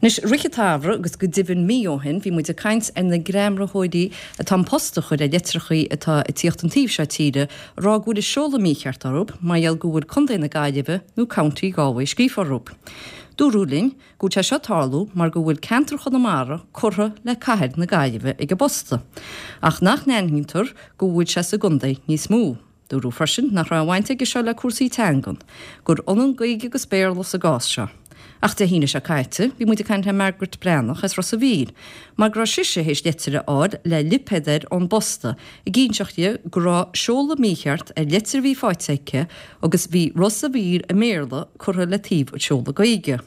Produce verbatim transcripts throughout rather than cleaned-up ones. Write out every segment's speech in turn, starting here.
Anois rith an tsamhraidh agus go deimhin mí ó shin bhí muid ag caint ar na greamraitheoirí atá an post a chur ar litreachaí atá ag tíocht an taobh seo tíre ag rá go bhfuil an seoladh mícheart orthu mar gheall go bhfuil Contae na Gaillimhe nó County Galway scríofa orthu. Dúradh linn go bhfuil sé seo ag tarlú mar go bhfuil ceantar Chonamara curtha le cathair na Gaillimhe ag an bposta, ach nach n-aithnítear go bhfuil sé sa gcontae níos mó. Dúradh freisin nach raibh baint aige seo le cúrsaí teangan, gur ionann Gaeilge agus Béarla sa gcás seo. Ach Dé hAoine seo caite, bhí muid ag caint le Margaret Breathnach as Ros an Mhíl, mar go raibh sise théis leitir a fháil le lipéad air ón bposta ag inseacht di go raibh seoladh mícheart ar leitir a bhí faighte aici agus bhí Ros an Mhíl i mBéarla curtha le taobh an seoladh Gaeilge.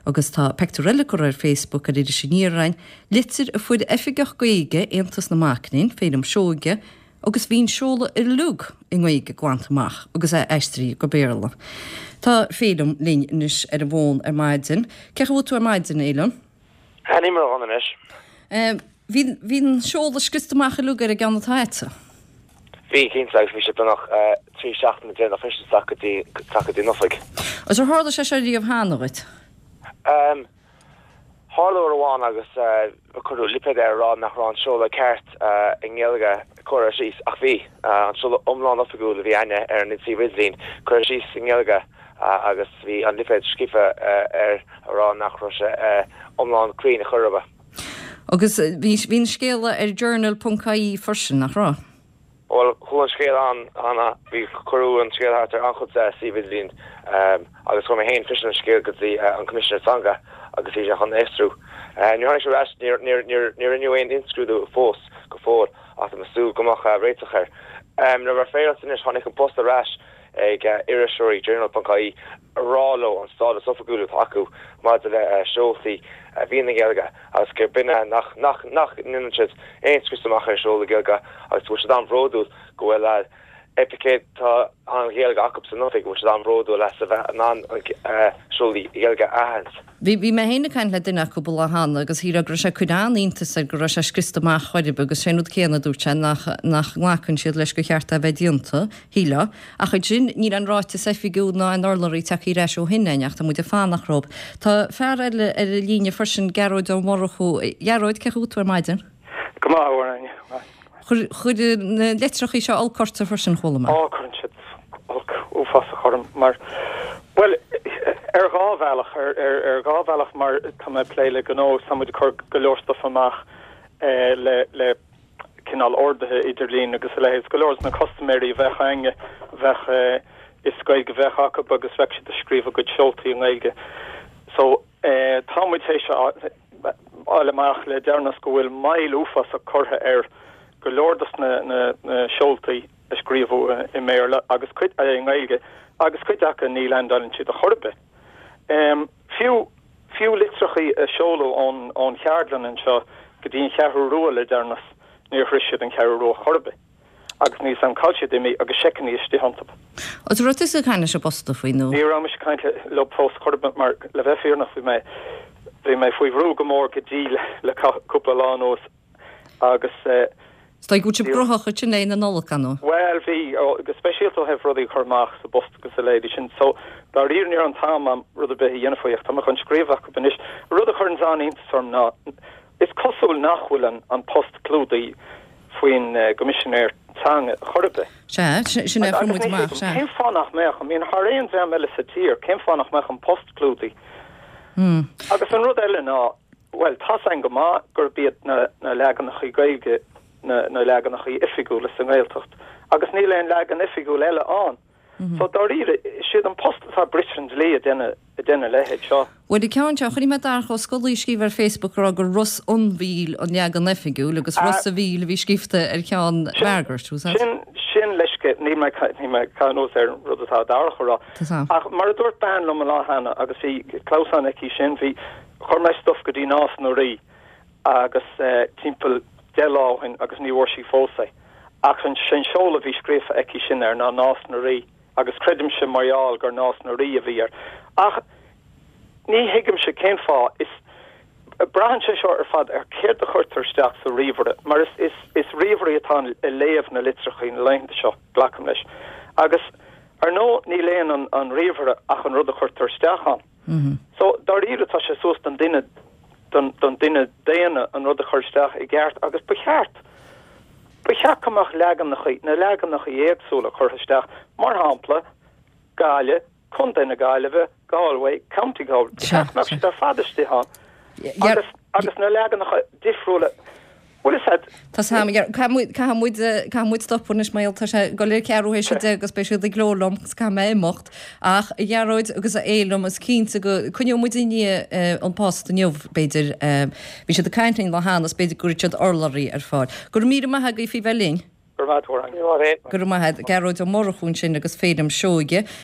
Agus tá pictiúr eile curtha ar Facebook ar Iris Aniar againn, litir a fuair oifigeach Gaeilge Aontas na Mac Léinn, Féilim Seoige, agus bhí an seoladh uilig i nGaeilge glanta amach agus é aistrithe go Béarla. Tá Féilim linn anois ar an bhfón ar maidin. Cén chaoi a bhfuil tú ar maidin, Fhéilim? Ní mar an anois. Bhí bhí an seoladh scriosta amach uilig ar an gceann atá agat. Bhí cinnte agus bhí sé beagnach trí seachtaine déanach freisin isteach go dtí go dtí an oifig. Agus ar tharla sé seo riamh cheana dhuit? Um, Tharla uair amháin agus cuireadh lipéad ar rá nach raibh an seoladh ceart i nGaeilge curtha síos ach bhí an seoladh iomlán oifigiúil a bhí againne ar an suíomh idirlín curtha síos i nGaeilge agus bhí an lipéad scríofa ar a rá nach raibh sé iomlán cruinn a chur bith. Agus bhí bhí an scéala ar journal.ie freisin nach raibh? Well chuaigh an scéal an an bhí cuireadh an scéal thart ar an-chuid suíomh idirlín agus chuir mé féin freisin an scéal go dtí an Coimisinéir Teanga agus bhí sé chun aistriú. Ní tháinig sé ras níor rinneadh aon imscrúdú fós go fóill ach tá súil go mbeadh réiteach air. Le bheith féaráilte anois tháinig an post ar ais ag iriseoirí journal.ie rá leo an stádas oifigiúil atá acu maidir le seoltaí a bhíonn i nGaeilge agus gur binne nach nach nach ndéanann siad aon scrios amach ar seoladh Gaeilge agus bhfuil siad an-bhródúil go bhfuil oifigigh tá an Ghaeilge acu san oifig bhfuil siad an-bhródúil as a bheith in ann seoltaí Gaeilge a aithint. Bhí bhí mé féin ag caint le duine acu lá cheana agus shíl go raibh sé cur an-iontas air go raibh sé scriosta amach chuirb agus sé rud céanna dúirt sé nach nach nglacann siad leis gur cheart é bheith déanta shíle ach ansin níl an ráiteas oifigiúil ná an urlabhraí tagtha ar ais ó shin ach tá muid ag fanacht orthu. Tá fear eile ar an líne freisin Gearóid Ó Murchú Gearóid cén chaoi a bhfuil tú ar maidin? Go maith Chuir chuir na litreacha seo olc ort freisin chuala mé. Á cuireann siad olc uafásach orm mar well ar dhá bhealach ar ar ar dhá bhealach mar tá mé plé le gnó tá muid ag cur go leor stuff amach eh, le le cineál orduithe idirlín agus a leithéid go leor na custaiméirí a bheadh againne bheadh eh, is Gaeilge bheadh acu agus bheadh siad ag scríobh a gcuid seoltaí i nGaeilge. So eh, tá muid théis fháil amach le deireanas go bhfuil moill uafásach curtha ar go leor dos na, na, na seoltaí a scríobhadh i mBéarla agus cuid i nGaeilge agus cuid acu ní landálann siad ar chor ar bith. Um, fiú fiú litreachaí a seoladh ón ón cheardlann anseo go dtí an Cheathrú Rua le deireanas níor shroich siad an Cheathrú Rua chor ar bith. agus ní san cá siad imí agus seiceanna istigh iontu. Agus raibh tusa ag caint leis an bposta faoi nó? Ní raibh mise ag caint leo fós chor ar bith mar le bheith fírinneach bhí mé bhí mé faoi bhrú go mór go dtí le cúpla lá anuas agus uh, Tá go sib grothach sin é na Nollag nó? Well bhí go speisialta ó thaobh rudaí chur amach sa bpost agus a leithéidí sin so dáiríre níor an t-am am rud ar bith a dhéanamh faoi tá mé chun scríobh acu anois rud a chuireann an-iontas orm ná is cosúil nach bhfuil an, an post clúdaithe faoin uh, gCoimisinéir Teanga chor ar bith. Se sin é muid amach se. Cén fáth nach mbeadh I mean thar aon dream eile sa tír cén fáth nach mbeadh an post clúdaithe. Hmm. Agus an rud eile ná well tá an go maith gurb iad na, na leaganacha Gaeilge na, na leaganacha oifigiúla sa nGaeltacht agus níl aon leagan oifigiúil eile ann. Mm -hmm. So dáiríre siad an post atá briseadh an dlí a dhéanamh a dhéanamh leithéid seo. Well ceann seo chuir mé Darach Ó Scolaí scríobh ar Facebook rá gur Ros an Mhíl an leagan oifigiúil agus Ros a Mhíl a bhí scríofa ar cheann Margaret sin sin leis ní mé ní mé canós ar rud atá Darach rá. Ach mar a dúirt bean liom an lá cheana agus bhí clamhsán aici sin bhí chuir mé stuff go dtí Nás na Rí agus uh, timpeall deich lá ó shin agus ní bhfuair sí fós é. Ach an sin seoladh bhí scríofa aici sin air ná Nás na Rí agus creidimse mar gheall gur Nás na Rí a bhí air. Ach ní thuigimse cén fáth is braitheann sé seo ar fad ar céard a chuirtear isteach sa ríomhaire, mar is is is ríomhairí atá ag léamh na litreacha na laethanta seo glacaim leis. Agus ar ndóigh ní léann an, an ríomhaire ach an rud a chuirtear isteach ann. Mm -hmm. So dáiríre tá sé suas don duine don don duine daonna an rud a chur isteach i gceart agus ba cheart ba cheart go mbeadh leaganacha na leaganacha éagsúla curtha isteach mar shampla Gaillimh Contae na Gaillimhe Galway County Galway ba cheart go mbeadh siad ar fad istigh ann agus agus na leaganacha difriúla Bhuel is ea. Tá a fhios agam, caithfidh muid, caithfidh muid stopadh anois mar tá sé ag dul ar ceathrú théis a deich agus beidh siad ag gleo liom agus caithfidh mé imeacht. Ach a Ghearóid agus a Fhéilim is cinnte go coinneoidh muid i ndiaidh An Post inniu b'fhéidir. Bhí siad ag caint linn lá cheana is b'fhéidir go gcuirfidh siad urlabhraí ar fáil. Go raibh míle maith agaibh faoi bheith linn. Go raibh maith agat. Go raibh maith agat. Gearóid Ó Murchú ansin agus Féilim Seoige.